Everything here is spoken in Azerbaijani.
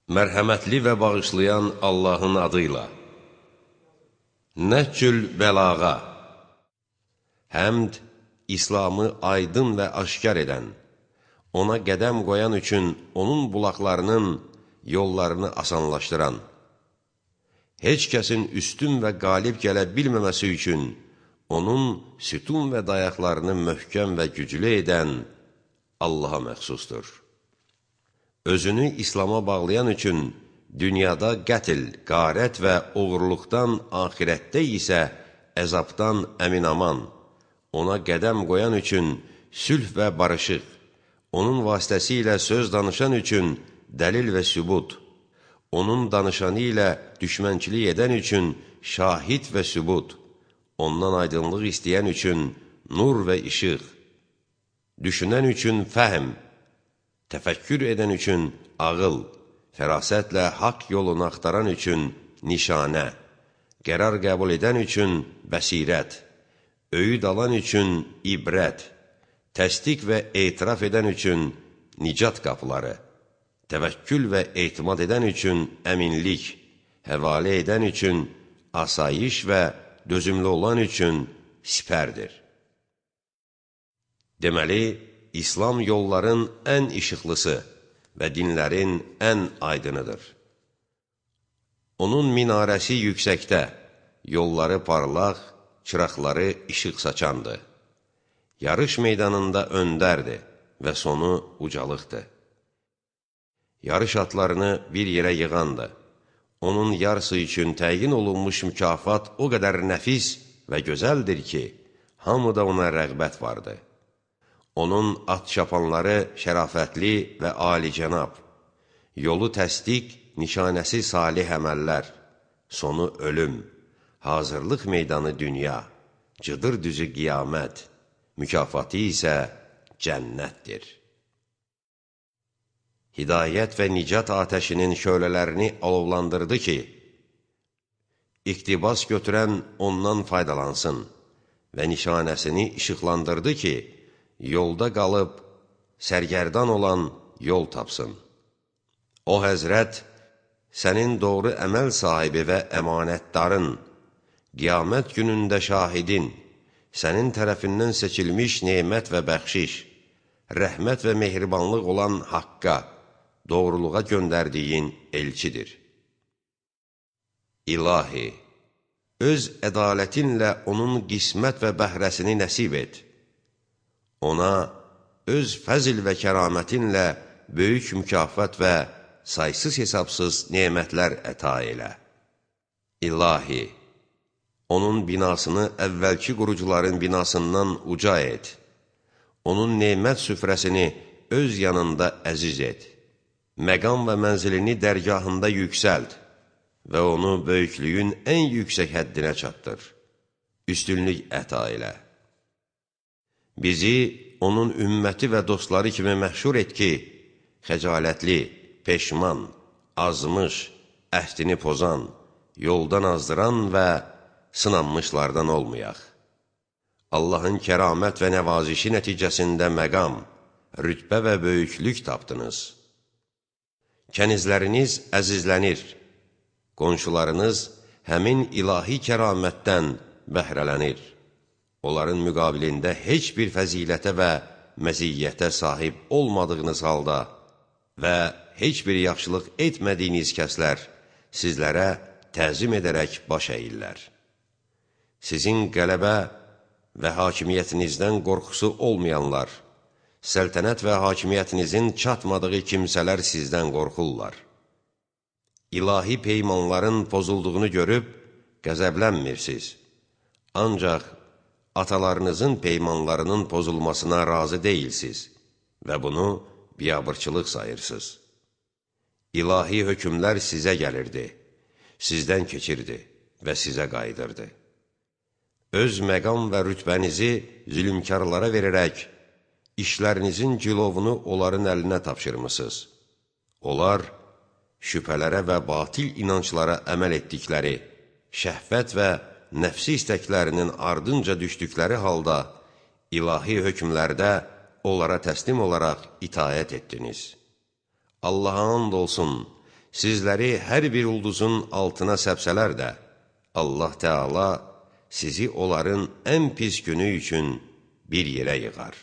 Mərhəmətli və bağışlayan Allahın adıyla. Nəhcül bəlağa. Həmd, İslamı aydın və aşkar edən, ona qədəm qoyan üçün onun bulaqlarının yollarını asanlaşdıran, heç kəsin üstün və qalib gələ bilməməsi üçün onun sütun və dayaqlarını möhkəm və güclü edən Allaha məxsusdur. Özünü İslama bağlayan üçün dünyada qətl, qarət və oğurluqdan, axirətdə isə əzabdan əmin-aman, ona qədəm qoyan üçün sülh və barışıq, onun vasitəsilə söz danışan üçün dəlil və sübut, onun danışanı ilə düşmənçilik edən üçün şahid və sübut, ondan aydınlıq istəyən üçün nur və işıq, düşünən üçün fəhm, təfəkkür edən üçün ağıl, fərasətlə haqq yolunu axtaran üçün nişanə, qərar qəbul edən üçün bəsirət, öyüd alan üçün ibrət, təsdiq və etiraf edən üçün nicat qapıları, təvəkkül və etimad edən üçün əminlik, həvalə edən üçün asayiş və dözümlü olan üçün sipərdir. Deməli, İslam yolların ən işıqlısı və dinlərin ən aydınıdır. Onun minarəsi yüksəkdə, yolları parlaq, çıraqları işıq saçandır. Yarış meydanında öndərdir və sonu ucalıqdır. Yarış atlarını bir yerə yığandır. Onun yarısı üçün təyin olunmuş mükafat o qədər nəfis və gözəldir ki, hamıda ona rəğbət vardır. Onun at çapanları şərafətli və alicənab, yolu təsdiq, nişanəsi salih əməllər, sonu ölüm, hazırlıq meydanı dünya, cıdır düzü qiyamət, mükafatı isə cənnətdir. Hidayət və nicat atəşinin şölələrini alovlandırdı ki, iqtibas götürən ondan faydalansın və nişanəsini işıqlandırdı ki, yolda qalıb, sərgərdan olan yol tapsın. O həzrət, sənin doğru əməl sahibi və əmanətdarın, qiyamət günündə şahidin, sənin tərəfindən seçilmiş nemət və bəxşiş, rəhmət və mehribanlıq olan haqqa, doğruluğa göndərdiyin elçidir. İlahi, öz ədalətinlə onun qismət və bəhrəsini nəsib et. Ona öz fəzil və kəramətinlə böyük mükafat və saysız-hesabsız nemətlər əta elə. İlahi, onun binasını əvvəlki qurucuların binasından uca et. Onun nemət süfrəsini öz yanında əziz et. Məqam və mənzilini dərgahında yüksəld və onu böyüklüyün ən yüksək həddinə çatdır. Üstünlük əta elə. Bizi onun ümməti və dostları kimi məhşur et ki, xəcalətli, peşman, azmış, əhdini pozan, yoldan azdıran və sınanmışlardan olmayaq. Allahın kəramət və nəvazişi nəticəsində məqam, rütbə və böyüklük tapdınız. Kənizləriniz əzizlənir, qonşularınız həmin ilahi kəramətdən bəhrələnir. Onların müqabilində heç bir fəzilətə və məziyyətə sahib olmadığınız halda və heç bir yaxşılıq etmədiyiniz kəslər sizlərə təzim edərək baş əyirlər. Sizin qələbə və hakimiyyətinizdən qorxusu olmayanlar, səltənət və hakimiyyətinizin çatmadığı kimsələr sizdən qorxurlar. İlahi peymanların pozulduğunu görüb qəzəblənmirsiniz. Ancaq atalarınızın peymanlarının pozulmasına razı deyilsiz və bunu biabırçılıq sayırsınız. İlahi hökmlər sizə gəlirdi, sizdən keçirdi və sizə qayıdırdı. Öz məqam və rütbənizi zülümkarlara verərək, işlərinizin cilovunu onların əlinə tapşırmısınız. Onlar, şübhələrə və batil inanclara əməl etdikləri, şəhvət və nəfsi istəklərinin ardınca düşdükləri halda, ilahi hökmlərdə onlara təslim olaraq itaət etdiniz. Allaha and olsun, sizləri hər bir ulduzun altına səpsələr də, Allah Teala sizi onların ən pis günü üçün bir yerə yığar.